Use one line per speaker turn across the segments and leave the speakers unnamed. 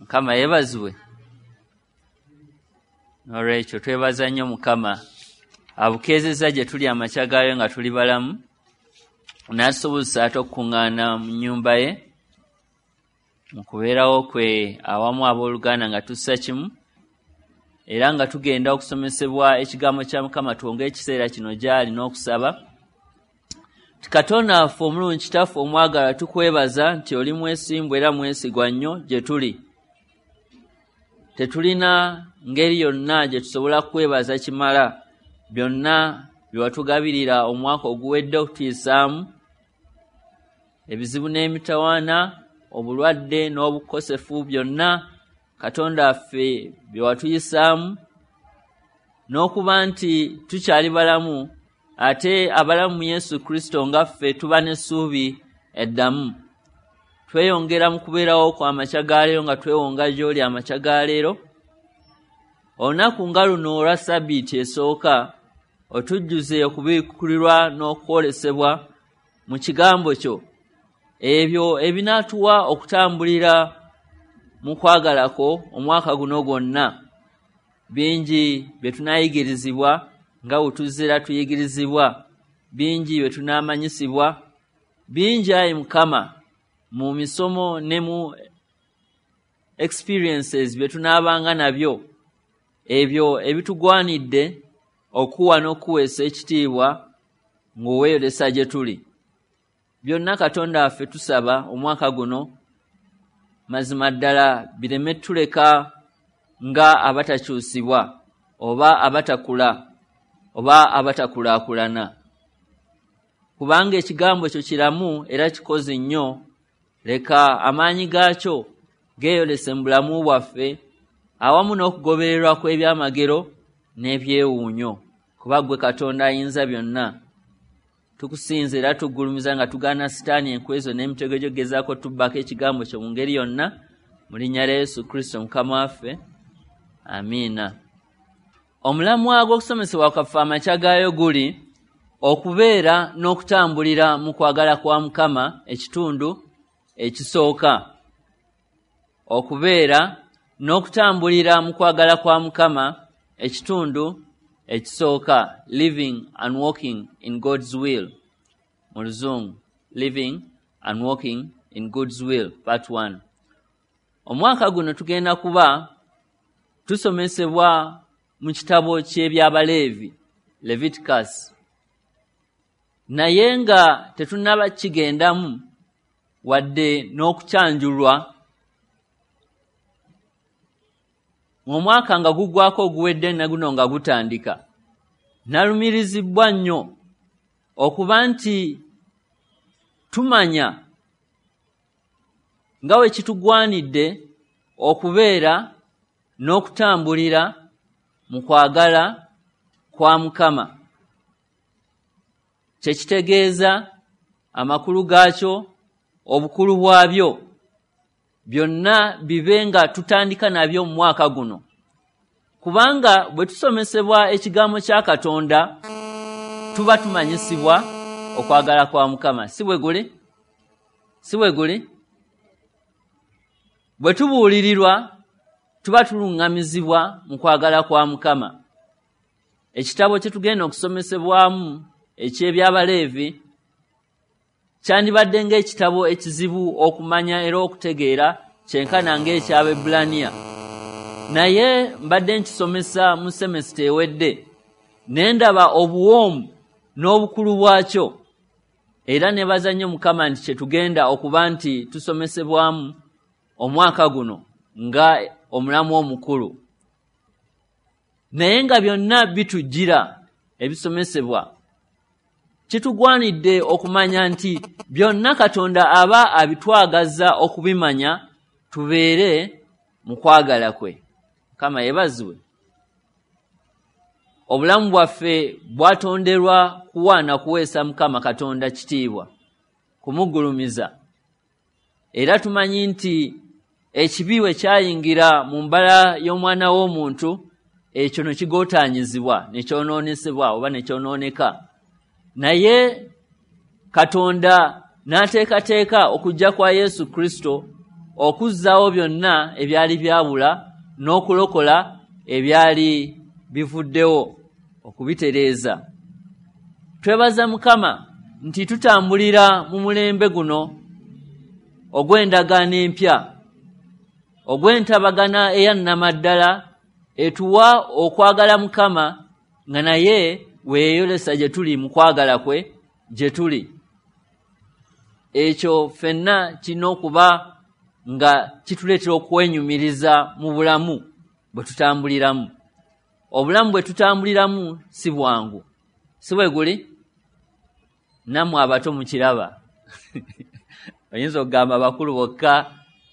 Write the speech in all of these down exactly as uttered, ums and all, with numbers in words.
Mukama yeebazibwe. N'olwekyo twebaza nnyo Mukama abukeezezza gye tuli amakya gaayo nga tuli balamu, n'atusobozesa ate okukuŋŋaana mu nnyumba ye mu kubeerawo kwe awamu abooluganda nga tussa kimu, era nga tugenda okusomesebwa ekigambo kya Mukama. Twonge ekiseera kino gy'ali n'okusaba. Katonda waffe omulungi, Kitaffe omwagala, tukwebaza nti oli mwesimbu era mwesigwa nnyo gye tuli. Tetulina ngeri yonna gye tusobola kwebaza kimala byonna bye watugabirira omwaka oguwedde okutuyisaamu, ebizibu n'emitawaana, obulwadde n'obukosefu, byonna Katonda waffe bye watuyisaamu, n'okuba nti tukyali balamu, ate abalamu mu Yesu Kristo nga ffe tuba n'essuubi eddamu. Tweyongera mu kubeerawo kw'amakya ga leero nga twewonga gy'oli amakya ga leero. Olunaku nga luno olwa Ssabbiiti esooka, otujjuze okubikkulirwa n'okwolesebwa mu kigambo kyo, ebyo ebinaatuwa okutambulira mu kwagala kwo omwaka guno gwonna. Bingi bye tunaayigirizibwa nga bwe tuzze tuyigirizibwa, bingi bye tunaamanyisibwa, bingi ayi Mukama mu misomo ne mu experiences bye tunaabanga nabyo, ebyo ebitugwanidde okuwa n'okuweesa ekitiibwa ng'oweeyolesa gye tuli. Byonna Katonda waffe tusaba omwaka guno mazima ddala bireme tuleka nga abatakyusibwa oba abatakula oba abatakulaakulana, kubanga ekigambo kyo kiramu era kikozi nnyo. Leka amaanyi gaakyo geeyolese mu bulamu bwaffe awamu n'okugobererwa kw'ebyamagero n'ebyewuunyo, kuba ggwe Katonda ayinza byonna. Tukusinza era tugulumiza nga tugaana Sitaani enkwezo n'emitego gy'ogezaako tubbako ekigambo kyo mu ngeri yonna, mu linnya lya Yesu Kristo Mukama waffe, amiina. Omulamwa gw'okusomesebwa kwaffe amakya gaayo guli okubeera n'okutambulira mu kwagala kwa Mukama, ekitundu ekisooka. Okubeera n'okutambulira mu kwagala kwa Mukama, ekitundu ekisooka, living and walking in God's will. Mu Luzungu, living and walking in God's will, part one. Omwaka guno tugenda kuba tusomesebwa mu kitabo ky'Ebyabaleevi, Leviticus. Naye nga tetunnaba kigendamu wadde n'okukyanjulwa, omwaka nga guggwako oguwedde ne guno nga gutandika, nalumirizibwa nnyo okuba nti tumanya nga bwe kitugwanidde okubeera n'okutambulira mu kwagala kwa Mukama. Kye kitegeeza, amakulu gaakyo, obukulu bwabyo, byonna bibe nga tutandika nabyo mu mwaka guno. Kubanga bwe tusomesebwa ekigambo kya Katonda tuba tumanyisibwa okwagala kwa Mukama. Si bwe guli? Si bwe guli? Bwe tubuulirirwa tuba tuluŋŋamizibwa mu kwagala kwa Mukama. Ekitabo kye tugenda okusomesebwamu eky'Ebyabaleevi kyandibadde ng'ekitabo ekizibu okumanya era okutegeera, kyenkana ng'eky'Abaebbulaniya. Naye mbadde nkisomesa mu semesita ewedde, ne ndaba obuwoomu n'obukulu bwakyo, era nebaza nnyo Mukama nti kye tugenda okuba nti tusomesebwamu omwaka guno nga omulamu omukulu. Naye nga byonna bitujjira ebisomesebwa, kitugwanidde okumanya nti byonna Katonda aba abitwagaza okubimanya, tubeere mu kwagala kwe. Mukama yeebazibwe. Obulamu bwaffe bwatonderwa kuwa na kuweesa Mukama Katonda kitiibwa, kumugulumiza. Era tumanyi nti ekibi bwe kyayingira mu mbala y'omwana w'omuntu, ekyo ne kigootaanyizibwa, ne kyonoonesebwa oba ne kyonooneka. Naye Katonda n'ateekateeka okujja kwa Yesu Kristo okuzzaawo byonna ebyali byabula n'okulokola ebyali bivuddewo okubitereeza. Twebaza Mukama nti tutambulira mu mulembe guno ogw'endagaano empya, ogw'entabagana eya nnamaddala etuwa okwagala Mukama nga naye weeyolesa gye tuli mu kwagala kwe gye tuli. Ekyo ffenna kirina okuba nga kituleetera okwenyumiriza mu bulamu bwe tutambuliramu. Obulamu bwe tutambuliramu si bwangu, si bwe guli? Nammwe abato mukiraba. Oyinza okugamba abakulu bokka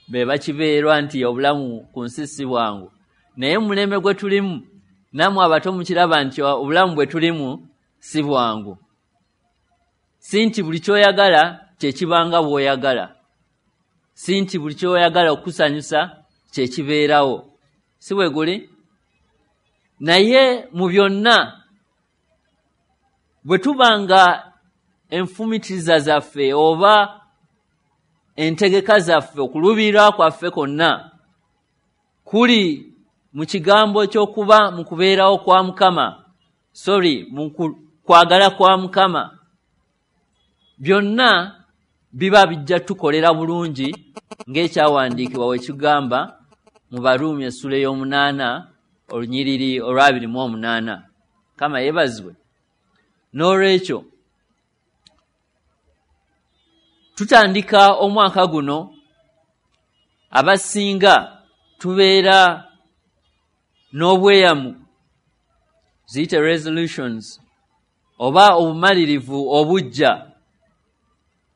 be bakibeerwa nti obulamu ku nsi si bwangu, naye mu mulembe gwe tulimu nammwe abato mukiraba nti obulamu bwe tulimu si bwangu. Si nti buli ky'oyagala kye kibanga bw'oyagala, si nti buli ky'oyagala okukusanyusa kye kibeerawo, si bwe guli? Naye mu byonna bwe tuba nga enfumitiriza zaffe oba entegeka zaffe, okuluubirira kwaffe kwonna kuli mu kigambo ky'okuba mu kubeerawo kwa Mukama, sorry, mu kwagala kwa Mukama, byonna biba bijja tukolera bulungi ng'ekyawandiikibwa we kigamba mu Baruumi essula ey'omunaana olunyiriri olw'abiri mu omunaana. Mukama yeebazibwe. N'olwekyo tutandika omwaka guno, abasinga tubeera n'obweyamu, ziyite resolutions, oba obumalirivu obujja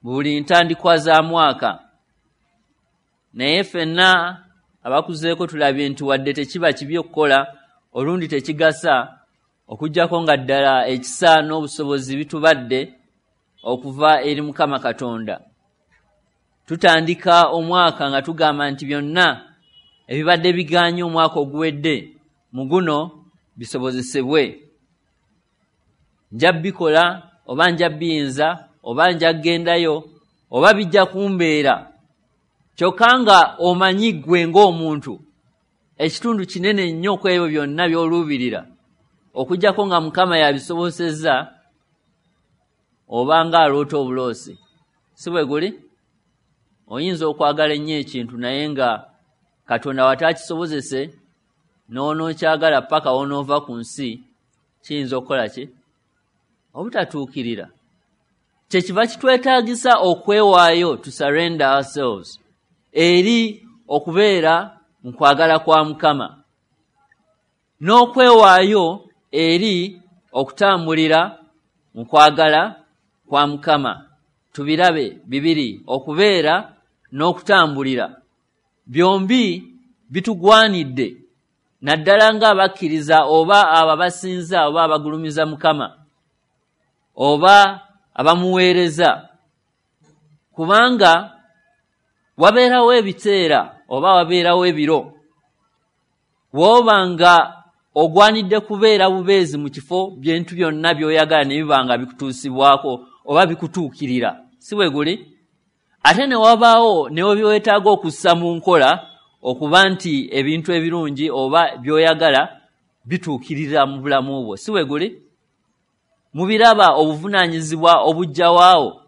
buli ntandikwa za mwaka. Naye ffenna abakuzeeko tulabye nti wadde tekiba kibi okukola, olundi tekigasa, okuggyako nga ddala ekisa n'obusobozi bitubadde okuva eri Mukama Katonda. Tutandika omwaka nga tugamba nti byonna ebibadde bigaanye omwaka oguwedde mu guno bisobozesebwe. Nja bikola oba nja biyinza oba nja kugendayo oba bijja kumbeera. Kyokka nga omanyi ggwe ng'omuntu ekitundu kinene nnyo ku ebyo byonna by'oluubirira, okuggyako nga Mukama yabisobosezza, oba ng'aloota obuloosi, si bwe guli? Oyinza okwagala ennyo ekintu naye nga Katonda w'ataakisobozese n'onookyagala paka w'onoova ku nsi, kiyinza okukola ki? Obutatuukirira. Kyekiva kitwetaagisa okwewaayo, to surrender ourselves eri okubeera mu kwagala kwa Mukama, n'okwewaayo eri okutambulira mu kwagala kwa Mukama. Tubirabe bibiri, okubeera n'okutambulira, byombi bitugwanidde, naddala ng'abakkiriza oba abo abasinza oba abagulumiza Mukama oba abamuweereza, kubanga wabeerawo ebiseera oba wabeerawo ebiro w'oba nga ogwanidde kubeera bubeezi mu kifo bintu byonna by'oyagala ne biba nga bikutuusibwako oba bikutuukirira, si bwe guli? Ate ne wabaawo ne by'oweetaaga okussa mu nkola okuba nti ebintu ebirungi oba by'oyagala bituukirira mu bulamu bwo, si bwe guli? Mubiraba obuvunaanyizibwa obujjawaawo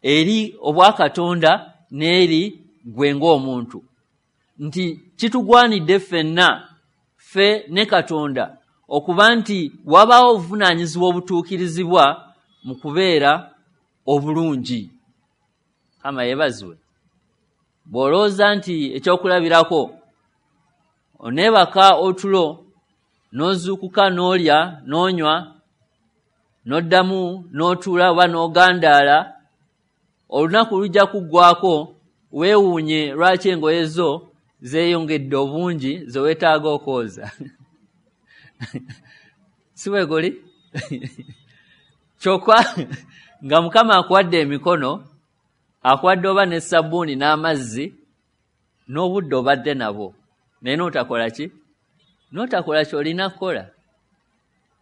eri obwakatonda n'eri ggwe ng'omuntu, nti kitugwanidde ffenna ffe ne Katonda okuba nti wabaawo obuvunaanyizibwa obutuukirizibwa mu kubeera obulungi. Mukama yeebazibwe. Bw'olowooza nti ekyokulabirako oneebaka otulo n'ozuukuka n'olya n'onywa n'oddamu n'otuula oba n'ogandaala, olunaku lujja kuggwaako weewuunye lwaki engoye zo zeeyongedde obungi ze weetaaga okwoza. Si bwe guli? Kyokka nga Mukama akuwadde emikono, akuwadde oba ne sabbuuni n'amazzi n'obudde obadde nabwo, naye n'otakola ki? N'otakola ky'olina kukola.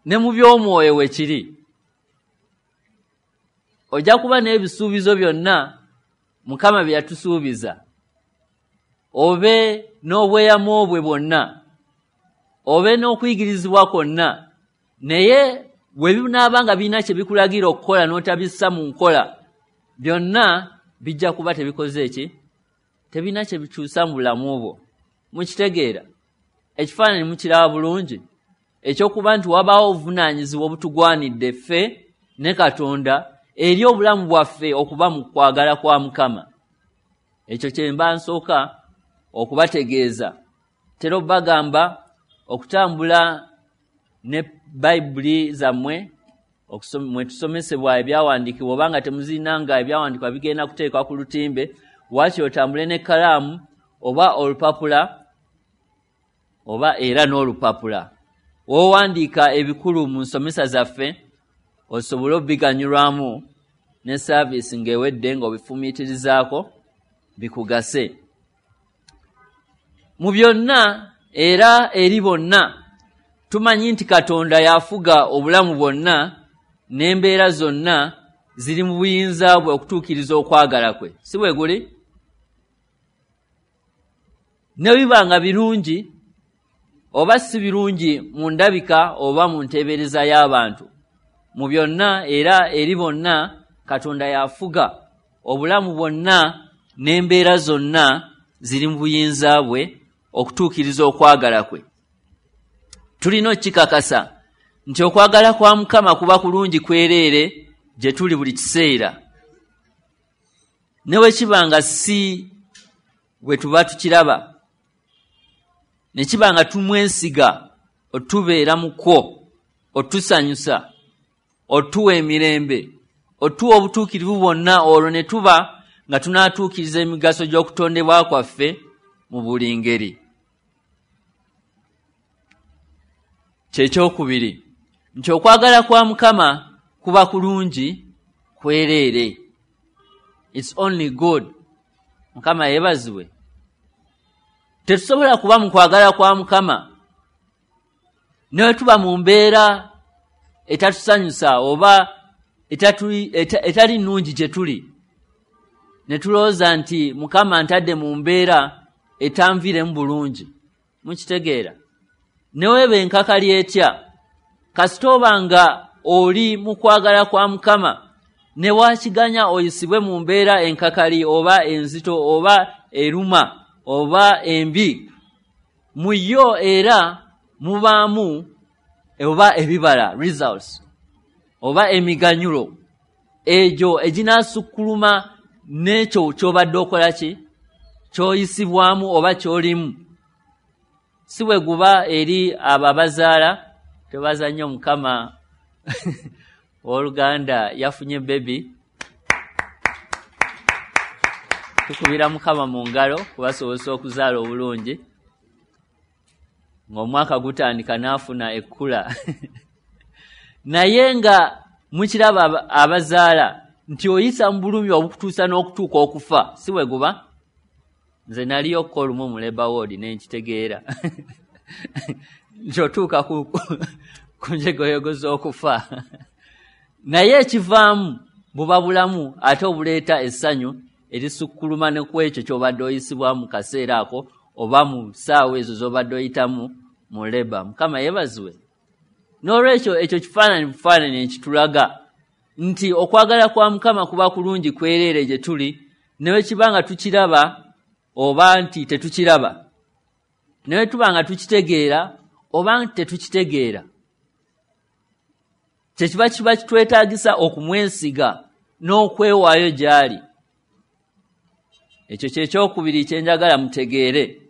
Ne mu by'omwoyo we kiri, ojja kuba n'ebisuubizo byonna Mukama bye yatusuubiza, obe n'obweyamo bwe bwonna, obe n'okuyigirizibwa kwonna, naye bwe binaaba nga birina kye bikulagira okukola n'otabissa mu nkola, byonna bijja kuba tebikoze ki? Tebirina kye bikyusa mu bulamu bwo. Mukitegeera? Ekifaananyi mukiraba bulungi ekyokuba nti wabaawo obuvunaanyizibwa obutugwanidde ffe ne Katonda eri obulamu bwaffe okuba mu kwagala kwa Mukama. Ekyo kye mba nsooka okubategeeza. Tera obbagamba okutambula ne Bayibuli zammwe mwe tusomesebwa ebyawandiikibwa, oba nga temuzirina nga ebyawandiikibwa bigenda kuteekwa ku lutimbe, waakiri otambule n'ekkalaamu oba olupapula oba era n'olupapula w'owandiika ebikulu mu nsomesa zaffe osobole obiganyulwamu ne saaviisi ng'ewedde ng'obifumiitirizaako bikugase. Mu byonna era eri bonna tumanyi nti Katonda y'afuga obulamu bwonna n'embeera zonna ziri mu buyinza bwe okutuukiriza okwagala kwe. Si bwe guli? Ne biba nga birungi oba si birungi mu ndabika oba mu nteebereza y'abantu, mu byonna era eri bonna Katonda y'afuga obulamu bwonna n'embeera zonna ziri mu buyinza bwe okutuukiriza okwagala kwe. Tulina okukikakasa nti okwagala kwa Mukama kuba kulungi kwereere gye tuli buli kiseera, ne bwe kiba nga si bwe tuba tukiraba, ne kiba nga tumwesiga otubeera mu kwo, otusanyusa, otuwa emirembe, otuwa obutuukirivu bwonna, olwo ne tuba nga tunaatuukiriza emigaso gy'okutondebwa kwaffe mu buli ngeri. Kyekyokubiri nti okwagala kwa Mukama kuba kulungi kwereere. It's only good. Mukama yeebazibwe. Tetusobola kuba mu kwagala kwa Mukama ne bwe tuba mu mbeera etatusanyusa oba etali nnungi gye tuli, ne tulowooza nti Mukama ntadde mu mbeera etanviiremu bulungi. Mukitegeera? Ne weeba enkakali etya, kasita oba nga oli mu kwagala kwa Mukama, ne waakiganya oyisibwe mu mbeera enkakali oba enzito oba eruma oba embi, mu yo era mubaamu oba ebibala, results, oba emiganyulo egyo eginaasukkuluma n'ekyo ky'obadde okola ki, ky'oyisibwamu oba ky'olimu. Si bwe guba eri abo abazaala, tebaza nnyo Mukama owooluganda yafunye bebi, tukubira Mukama mu ngalo kubasobozesa okuzaala obulungi, ng'omwaka gutandika n'afuna ekkula. Naye nga mukiraba abazaala nti oyisa mu bulumi obukutuusa n'okutuuka okufa, si bwe guba? Nze naliyo ko olumu mu labor ward ne nkitegeera nti otuuka ku ku njegoyego z'okufa. Naye ekivaamu buba bulamu ate obuleeta essanyu erisukkuluma ne ku ekyo ky'obadde oyisibwa mu kaseera ako oba mu ssaawa ezo z'obadde oyitamu mu leba. Mukama yeebazibwe. N'olwekyo ekyo kifaananyi bufaananyi ekitulaga nti okwagala kwa Mukama kuba kulungi kwereere gye tuli, ne bwe kiba nga tukiraba oba nti tetukiraba, ne bwe tuba nga tukitegeera oba nti tetukitegeera. Kye kiba kiba kitwetaagisa okumwesiga n'okwewaayo gy'ali. Ekyo kye kyokubiri kye njagala mutegeere.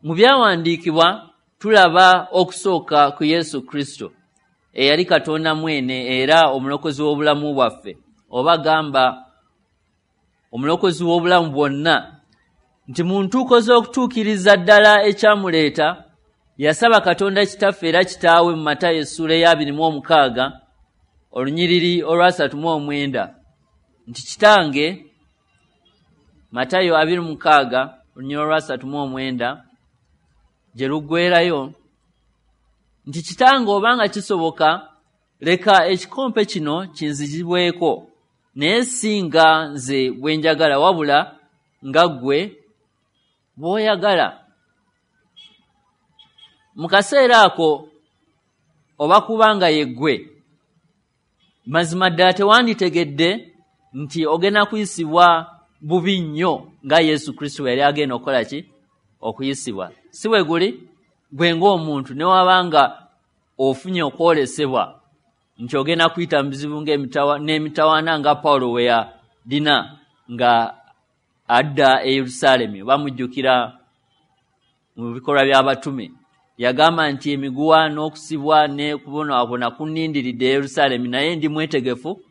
Mu byawandiikibwa tulaba okusooka ku Yesu Kristo eyali Katonda mwene era omulokozi w'obulamu bwaffe, oba gamba omulokozi w'obulamu bwonna, nti mu ntuuko z'okutuukiriza ddala ekyamuleeta yasaba Katonda Kitaffe era Kitaawe mu Matayo essuula eya abiri mu omukaaga olunyiriri olwasatu mu omwenda nti Kitange, Matayo abiri mu mukaaga olunyiriri olwasatu mu omwenda gye luggwerayo nti Kitange, obanga kisoboka leka ekikompe kino kinzigibweko, naye si nga nze bwe njagala wabula nga ggwe bw'oyagala. Mu kaseera ako oba kubanga yeggwe, mazima ddala tewanditegedde nti ogenda kuyisibwa bubi nnyo nga Yesu Kristo yali agenda okukola ki? Okuyisibwa. Si bwe guli? Gwe ng'omuntu ne wabanga ofunye okwolesebwa nti ogenda kuyita mu bizibu n'emitawaana nga Pawulo we yalina nga adda e Yerusaalemi, bamujjukira mu bikolwa by'abatume. Yagamba nti emiguwa n'okusibwa ne kubonaabona kunnindiridde e Yerusaalemi, naye ndi mwetegefu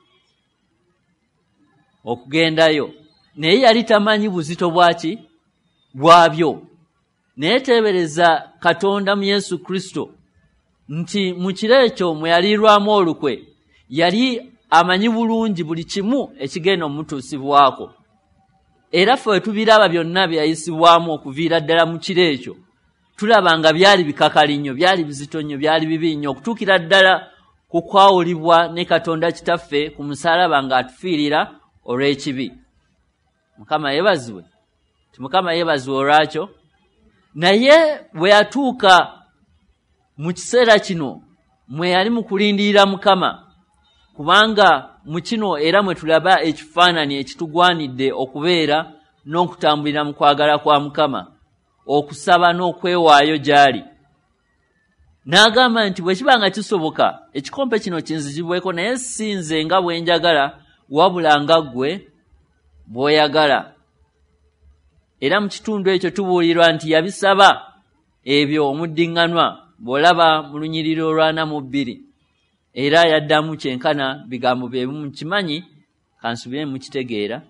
okugendayo. Naye yali tamanyi buzito bwaki bwabyo. Naye teebereza Katonda mu Yesu Kristo nti mu kiro ekyo mwe yaliirwamu olukwe, yali amanyi bulungi buli kimu ekigenda omutuusibwako. Era ffe tubiraba byonna bye yayisibwamu okuviira ddala mu kiro ekyo, tulaba nga byali bikakali nnyo, byali bizito nnyo, byali bibi nnyo, okutuukira ddala ku kwawulibwa ne Katonda Kitaffe ku musaalaba ng'atufiirira olw'ekibi. Mukama yeebazibwe. Ti Mukama yeebazibwe olwakyo. Naye bwe yatuuka mu kiseera kino mwe yali mu kulindirira Mukama, kubanga mu kino era mwe tulaba ekifaananyi ekitugwanidde okubeera n'okutambulira mu kwagala kwa Mukama, okusaba n'okwewaayo gy'ali. N'agamba nti bwe kiba nga kisoboka ekikompe kino kinzigibweko, naye si nze nga bwe njagala, wabula nga ggwe bw'oyagala. Era mu kitundu ekyo tubuulirwa nti yabisaba ebyo omuddiŋŋanwa, bw'olaba mu lunyiriri olwana mu bbiri. Era yaddamu kyenkana bigambo bye mukimanyi, kansubire mukitegeera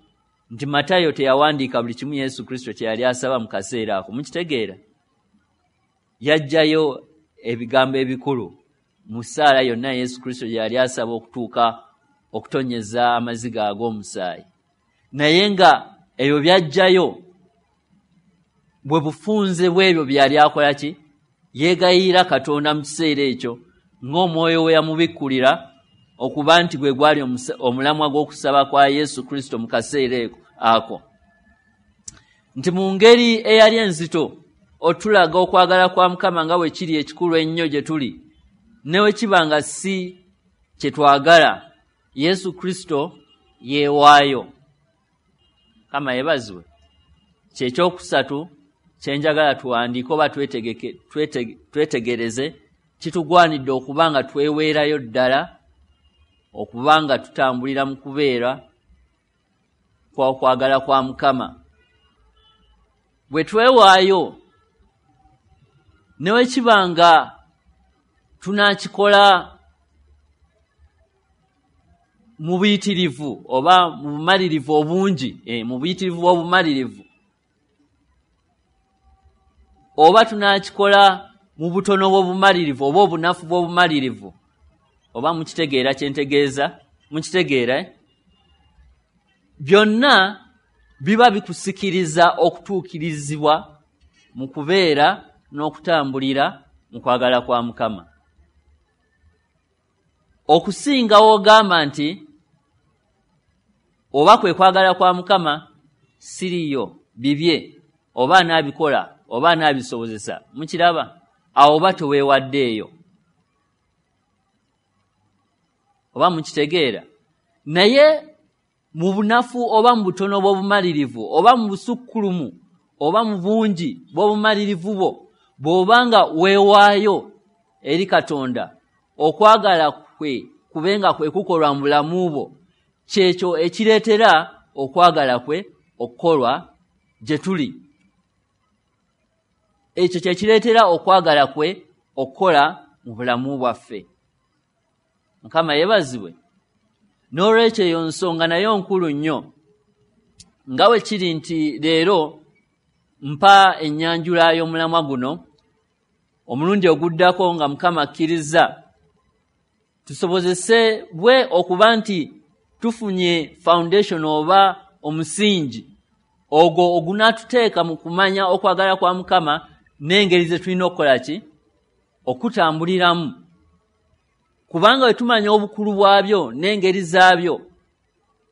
nti Matayo teyawandiika buli kimu Yesu Kristo kye yali asaba mu kaseera ako. Mukitegeera? Yaggyayo ebigambo ebikulu mu ssaala yonna Yesu Kristo gye yali asaba okutuuka okutonyeza amaziga ag'omusaayi. Naye nga ebyo byajjayo bwe bufunze bw'ebyo bye yali akola ki? Yeegayirira Katonda mu kiseera ekyo ng'omwoyo we yamubikkulira okuba nti gwe gwali omulamwa gw'okusaba kwa Yesu Kristo mu kaseera ako. Nti mu ngeri eyali enzito otulaga okwagala kwa Mukama nga bwe kiri ekikulu ennyo gye tuli, ne bwe kiba nga si kye twagala, Yesu Kristo yeewaayo. Mukama yeebazibwe. Kye kyokusatu kye njagala tuwandiike oba twetegeke twetegereze, kitugwanidde okuba nga tweweerayo ddala, okuba nga tutambulira mu kubeera kwa kwagala kwa Mukama. Bwe twewaayo, ne bwe kiba nga tunaakikola mu buyitirivu oba mu bumalirivu obungi, eh, mu buyitirivu bw'obumalirivu, oba tunaakikola mu butono bw'obumalirivu oba obunafu bw'obumalirivu, oba mukitegeera kye ntegeeza, mukitegeera eh? Byonna biba bikusikiriza okutuukirizibwa mu kubeera n'okutambulira mu kwagala kwa Mukama. Okusinga w'ogamba nti oba kwe kwagala kwa Mukama siriyo bibye, oba anaabikola oba anaabisobozesa, mukiraba? Awo oba teweewaddeeyo, oba mukitegeera? Naye mu bunafu oba mu butono bw'obumalirivu oba mu busukkulumu oba mu bungi bw'obumalirivu bwo, bw'obanga weewaayo eri Katonda, okwagala kwe kubenga kwe kukolwa mu bulamu bwo, kyekyo ekireetera okwagala kwe okukolwa gye tuli. Ekyo kye kireetera okwagala kwe okukola mu bulamu bwaffe. Mukama yeebazibwe. N'olwekyo eyo nsonga nayo nkulu nnyo, nga bwe kiri nti leero mpa ennyanjula y'omulamwa guno, omulundi oguddako nga Mukama akkiriza tusobozese bwe okuba nti tufunye foundation oba omusingi ogwo ogunaatuteeka mu kumanya okwagala kwa Mukama n'engeri ze tulina okukola ki? Okutambuliramu. Kubanga bwe tumanya obukulu bwabyo n'engeri zaabyo,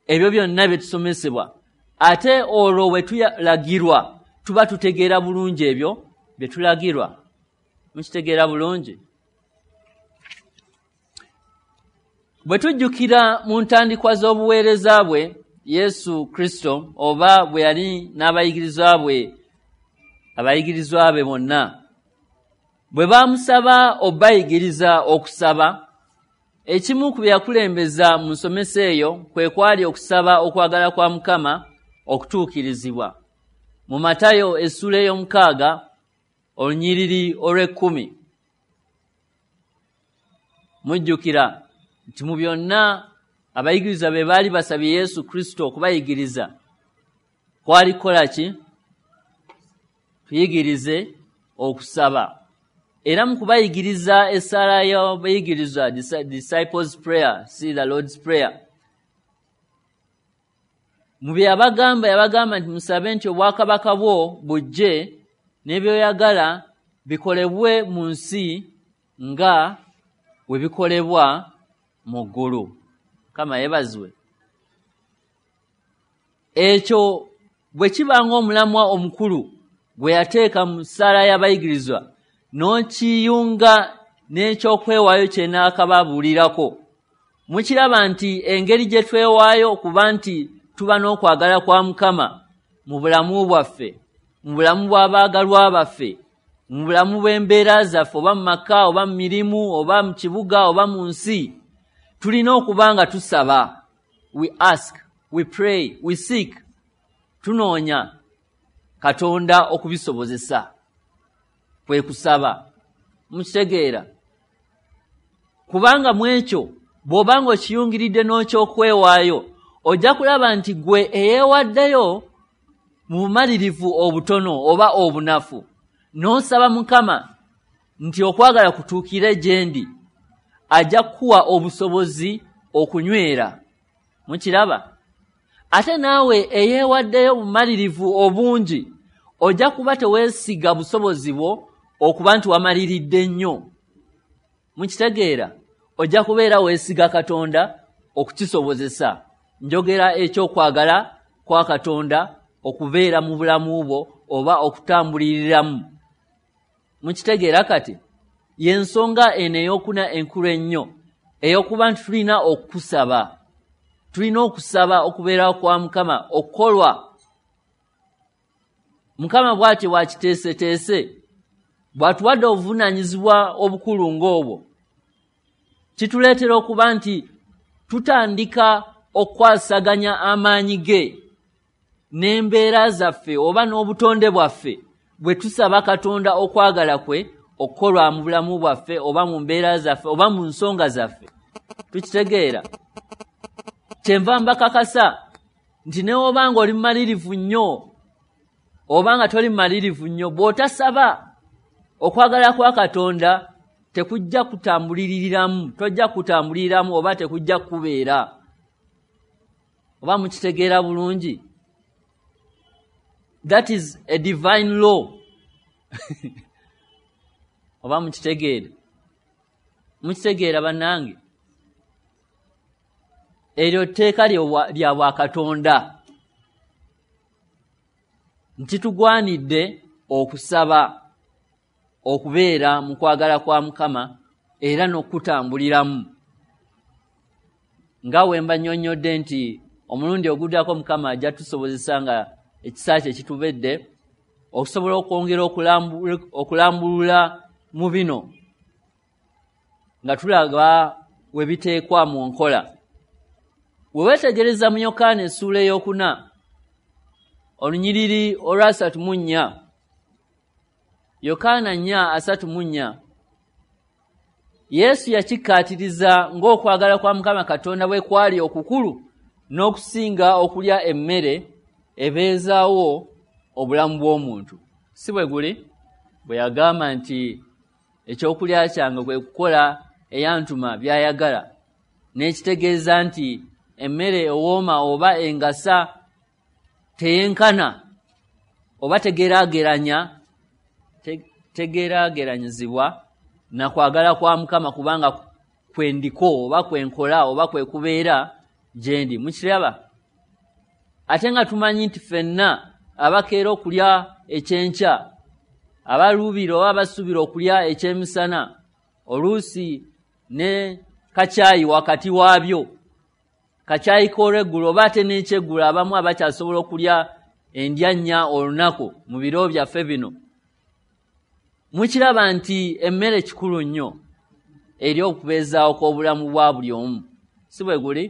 ebyo byonna bye tusomesebwa, ate olwo bwe tulagirwa tuba tutegeera bulungi ebyo bye tulagirwa. Mukitegeera bulungi? Bwe tujjukira mu ntandikwa z'obuweereza bwe Yesu Kristo, oba bwe yali n'abayigirizwa bwe abayigirizwa be bonna, bwe baamusaba obayigiriza okusaba, ekimu ku bye yakulembeza mu nsomesa eyo kwe kwali okusaba okwagala kwa Mukama okutuukirizibwa. Mu Matayo essuula ey'omukaaga olunyiriri olw'ekkumi, mujjukira nti mu byonna abayigiriza be baali basabye Yesu Kristo okubayigiriza kwali kukola ki? Tuyigirize okusaba. Era mu kubayigiriza essaala y'abayigirizwa, disciples prayer, see the Lord's prayer, mu bye yabagamba, yabagamba nti musabe nti obwakabaka bwo bujje, n'ebyoyagala bikolebwe mu nsi nga bwe bikolebwa mu ggulu. Mukama yeebazibwe. Ekyo bwe kiba ng'omulamwa omukulu gwe yateeka mu ssaala y'abayigirizwa, n'okiyunga n'ekyokwewaayo kye naakababuulirako, mukiraba nti engeri gye twewaayo okuba nti tuba n'okwagala kwa Mukama mu bulamu bwaffe, mu bulamu bw'abaagalwa baffe, mu bulamu bw'embeera zaffe, oba mu maka, oba mu mirimu, oba mu kibuga, oba mu nsi, tulina okuba nga tusaba. We ask, we pray, we seek. Tunoonya Katonda okubisobozesa, kwe kusaba. Mukitegeera? Kubanga mu ekyo bw'oba ng'okiyungiridde n'okyokwewaayo, ojja kulaba nti gwe eyeewaddeyo mu bumalirivu obutono oba obunafu, n'osaba Mukama nti okwagala kutuukire gye ndi, ajja kukuwa obusobozi okunywera. Mukiraba? Ate naawe eyeewaddeyo bumalirivu obungi, ojja kuba teweesiga busobozi bwo okuba nti wamaliridde nnyo. Mukitegeera? Ojja kubeera weesiga Katonda okukisobozesa. Njogera ekyokwagala kwa Katonda okubeera mu bulamu bwo oba okutambuliriramu. Mukitegeera kati? Y'ensonga eno ey'okuna enkulu ennyo, ey'okuba nti tulina okusaba. Tulina okusaba okubeerawo kwa Mukama okukolwa. Mukama bw'atyo bw'akiteeseteese, bw'atuwadde obuvunaanyizibwa obukulu ng'obwo, kituleetera okuba nti tutandika okukwasaganya amaanyi ge n'embeera zaffe oba n'obutonde bwaffe bwe tusaba Katonda okwagala kwe okukolwa mu bulamu bwaffe oba mu mbeera zaffe oba mu nsonga zaffe. Tukitegeera? Kyenva mbakakasa nti ne bw'oba ng'oli mumalirivu nnyo oba nga toli mumalirivu nnyo, bw'otasaba okwagala kwa Katonda tekujja kutambuliriramu, tojja kutambuliriramu oba tekujja kubeera. Oba mukitegeera bulungi? That is a divine law. Oba mukitegeera? Mukitegeera bannange? Eryo tteeka lya bwakatonda nti tugwanidde okusaba okubeera mu kwagala kwa Mukama era n'okutambuliramu. Nga we mba nnyonnyodde nti omulundi oguddako Mukama ajja tusobozesa nga ekisa kye kitubedde okusobola okwongera okulambulula mu bino nga tulaba we biteekwa mu nkola. Bwe weetegereza mu Yokaana essuula ey'okuna olunyiriri olwasatu mu nnya, Yokaana nnya asatu mu nnya, Yesu yakikkaatiriza ng'okwagala kwa Mukama Katonda bwe kwali okukulu n'okusinga okulya emmere ebeezaawo obulamu bw'omuntu. Si bwe guli? Bwe yagamba nti ekyokulya kyange kwe kukola eyantuma by'ayagala, n'ekitegeeza nti emmere ewooma oba engasa teyenkana oba tegeraageranya tegeraageranyizibwa na kwagala kwa Mukama, kubanga kwendiko oba kwenkola oba kwe kubeera gye ndi. Mukiraba? Ate nga tumanyi nti ffenna abakeera okulya ekyenkya, abaluubira oba abasuubira okulya ekyemisana, oluusi ne kacaayi wakati waabyo, kacaayi k'olweggulo oba ate n'ekyeggulo, abamu abakyasobola okulya endya nnya olunaku mu biro byaffe bino. Mukiraba nti emmere kikulu nnyo eri okubeezaawo kw'obulamu bwa buli omu, si bwe guli?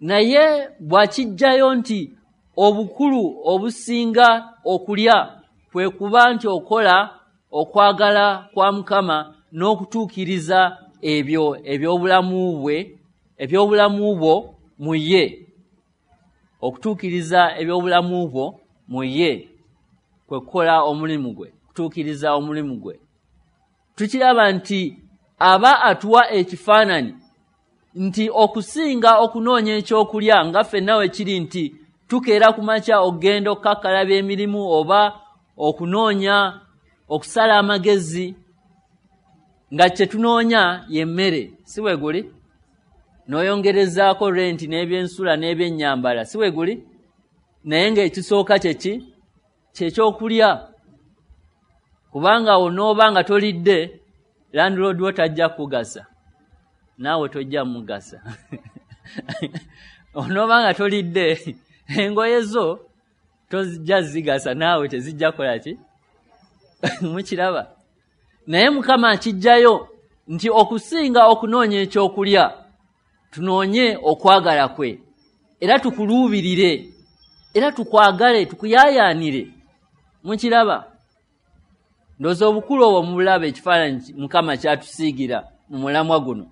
Naye bw'akiggyayo nti obukulu obusinga okulya kwe kuba nti okola okwagala kwa Mukama n'okutuukiriza ebyo eby'obulamu bwe eby'obulamu bwo mu ye, okutuukiriza eby'obulamu bwo mu ye kwe kukola omulimu gwe, kutuukiriza omulimu gwe. Tukiraba nti aba atuwa ekifaananyi nti okusinga okunoonya ekyokulya, nga ffenna we kiri nti tukeera ku makya okugenda okukakkalabya emirimu oba okunoonya okusala amagezi, nga kye tunoonya y'emmere, si bwe guli? N'oyongerezaako renti n'ebyensula n'ebyennyambala, si bwe guli? Naye ng'ekisooka kye ki? Kyekyokulya. Kubanga onooba nga tolidde, landlord wo tajja kukugasa, naawe tojja mugasa. Onooba nga tolidde, engoye zo tozijja zigasa, naawe tezijja kukola ki? Mukiraba? Naye Mukama akiggyayo nti okusinga okunoonya ekyokulya, tunoonye okwagala kwe, era tukuluubirire, era tukwagale, tukuyaayaanire. Mukiraba? Ndowooza obukulu obwo mubulaba ekifaananyi Mukama kyatusiigira mu mulamwa guno.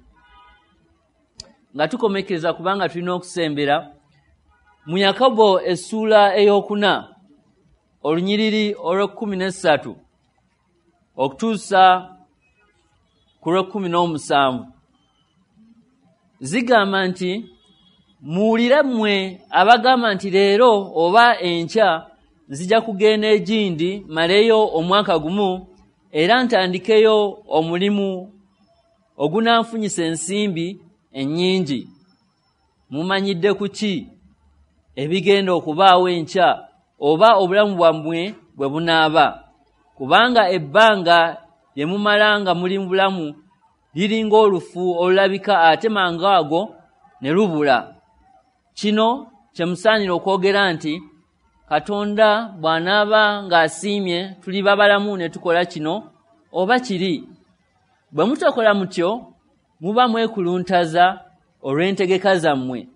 Nga tukomekkereza, kubanga tulina okusembera, mu Yakobo essuula ey'okuna olunyiriri olw'ekkumi n'essatu okutuusa ku lw'ekkumi n'omusanvu zigamba nti, muwulire mmwe abagamba nti leero oba enkya nzija kugenda egindi maleyo omwaka gumu era ntandikeyo omulimu ogunanfunyisa ensimbi ennyingi. Mumanyidde ku ki ebigenda okubaawo enkya oba obulamu bwammwe bwe bunaaba? Kubanga ebbanga lye mumala nga muli mu bulamu liringa olufu olulabika ate mangu ago ne lubula. Kino kye musaanira okwogera nti, Katonda bw'anaaba ng'asiimye tuliba balamu ne tukola kino oba kiri. Bwe mutakola mutyo muba mwekuluntaza olw'entegeka zammwe,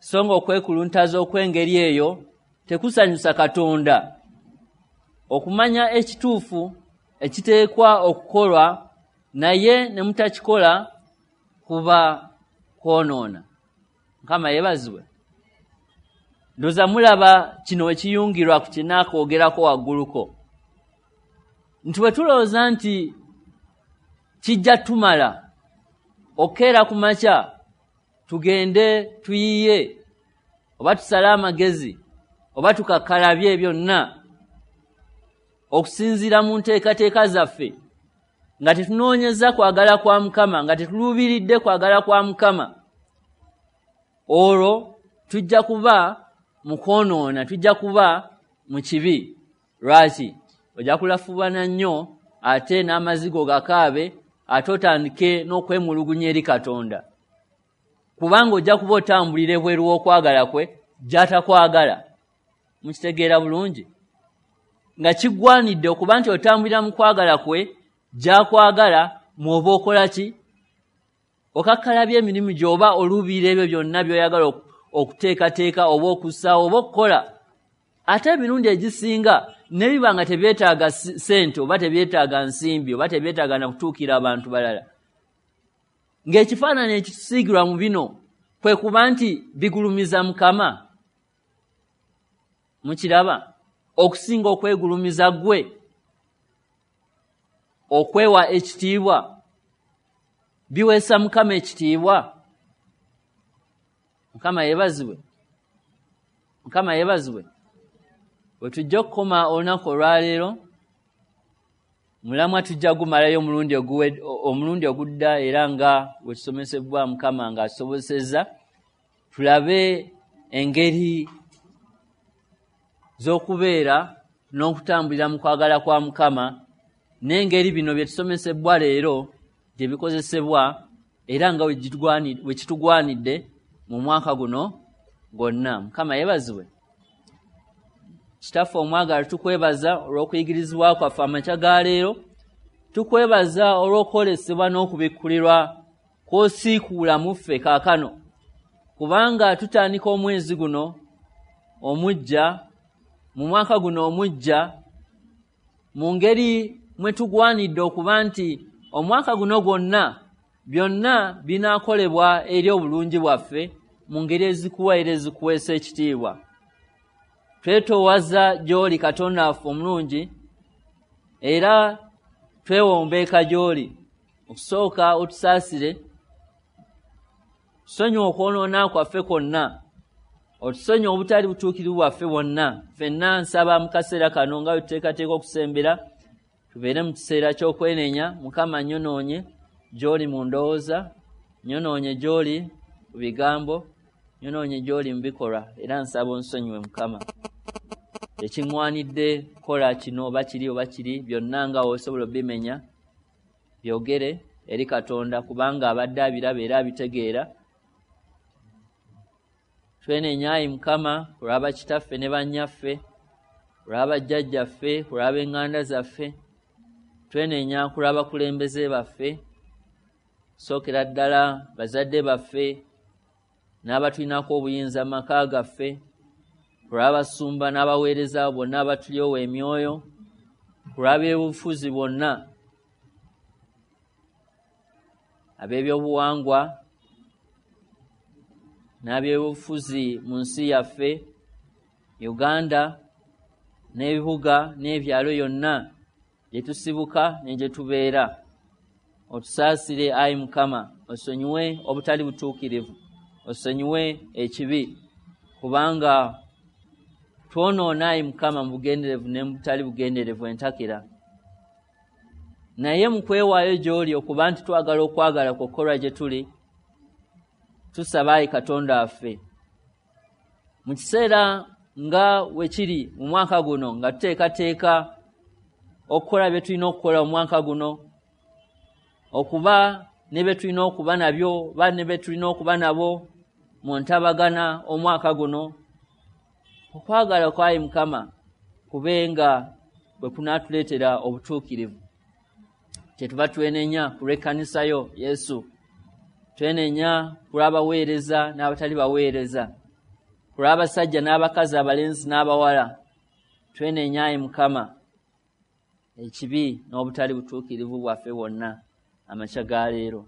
so nga okwekuluntaza okw'engeri eyo tekusanyusa Katonda. Okumanya ekituufu ekiteekwa okukolwa naye ne mutakikola kuba kwonoona. Mukama yeebazibwe. Ndowooza mulaba kino ekiyungirwa ku kinaakwogerako wagguluko, nti bwe tulowooza nti kijja tumala okukeera ku makya tugende tuyiye oba tusale amagezi oba tukakkalabye byonna okusinziira mu nteekateeka zaffe, nga tetunoonyeza kwagala kwa Mukama, nga tetuluubiridde kwagala kwa Mukama, olwo tujja kuba mu kwonoona, tujja kuba mu kibi. Lwaki? Ojja kulafuubana nnyo ate n'amazigo gakaabe, ate otandike n'okwemulugunya eri Katonda, kubanga ojja kuba otambulira ebweru w'okwagala kwe gy'atakwagala. Mukitegeera bulungi? Nga kigwanidde okuba nti otambulira mu kwagala kwe gy'akwagala, mw'oba okola ki? Okakkalabya emirimu gy'oba oluubirira ebyo byonna by'oyagala okuteekateeka oba okussaawo oba okukola. Ate emirundi egisinga ne biba nga tebyetaaga ssente oba tebyetaaga nsimbi oba tebyetaaga na kutuukira abantu balala. Ng'ekifaananyi ekitusiigirwa mu bino kwe kuba nti bigulumiza Mukama. Mukiraba? Okusinga okwegulumiza ggwe, okwewa ekitiibwa, biweesa Mukama ekitiibwa. Mukama yeebazibwe. Mukama yeebazibwe. Bwe tujja okukoma olunaku olwaleero, mulamwa tujja gumalayo omulundi omulundi ogudda, era nga bwe tusomesebwa Mukama ng'asobosezza, tulabe engeri z'okubeera n'okutambulira mu kwagala kwa Mukama, n'engeri bino bye tusomesebwa leero gye bikozesebwa era nga bwe kitugwanidde mu mwaka guno gwonna. Mukama yeebazibwe. Kitaffe omwagala, tukwebaza olw'okuyigirizibwa kwaffe amakya ga leero. Tukwebaza olw'okwolesebwa n'okubikkulirwa kw'osiikuula mu ffe kaakano, kubanga tutandika omwezi guno omuggya, mu mwaka guno omuggya, mu ngeri mwe tugwanidde okuba nti omwaka guno gwonna byonna binaakolebwa eri obulungi bwaffe mu ngeri ezikuwa era ezikuweesa ekitiibwa. Twetoowaza gy'oli Katonda waffe omulungi, era twewombeeka gy'oli. Okusooka otusaasire, tusonyiwe okwonoona kwaffe kwonna, otusonyiwe obutali butuukirivu bwaffe bwonna. Ffenna nsaba mu kaseera kano nga bwe tuteekateeka okusembera, tubeere mu kiseera ky'okwenenya. Mukama, nnyonoonye gy'oli mu ndowooza, nnyonoonye gy'oli mu bigambo, nnyonoonye gy'oli mu bikolwa, era nsaba onsonyiwe Mukama. Tekiŋŋwanidde kukola kino oba kiri oba kiri, byonna nga osobola obimenya, byogere eri Katonda, kubanga abadde abiraba era abitegeera. Twenenya ayi Mukama olwa kitaffe ne bannyaffe, olwa bajjajjaffe, olwa b'eŋŋanda zaffe. Twenenya ku lw'abakulembeze baffe, sookera ddala bazadde baffe n'abatulinako obuyinza mu maka gaffe, olw'abasumba n'abaweereza bonna abatulyowa emyoyo, olw'ab'ebyobufuzi bonna, ab'ebyobuwangwa n'ab'ebyobufuzi mu nsi yaffe Uganda n'ebibuga n'ebyalo yonna gye tusibuka ne gye tubeera. Otusaasire ayi Mukama, osonyiwe obutali butuukirivu, osonyiwe ekibi, kubanga twonoona ayi Mukama mu bugenderevu ne mu butali bugenderevu entakera. Naye mu kwewaayo gy'oli okuba nti twagala okwagala kw'okukolwa gye tuli, tusaba ayi Katonda waffe, mu kiseera nga we kiri mu mwaka guno, nga tuteekateeka okukola bye tulina okukola omwaka guno, okuba ne bye tulina okuba nabyo ba ne bye tulina okuba nabo mu ntabagana omwaka guno, okwagala kwayi Mukama kube nga bwe kunaatuleetera obutuukirivu. Kyetuva twenenya ku lw'ekkanisa yo Yesu, twenenya ku lw'abaweereza n'abatali baweereza, ku lw'abasajja n'abakazi, abalenzi n'abawala. Twenenya ayi Mukama ekibi n'obutali butuukirivu bwaffe bwonna amakya ga leero.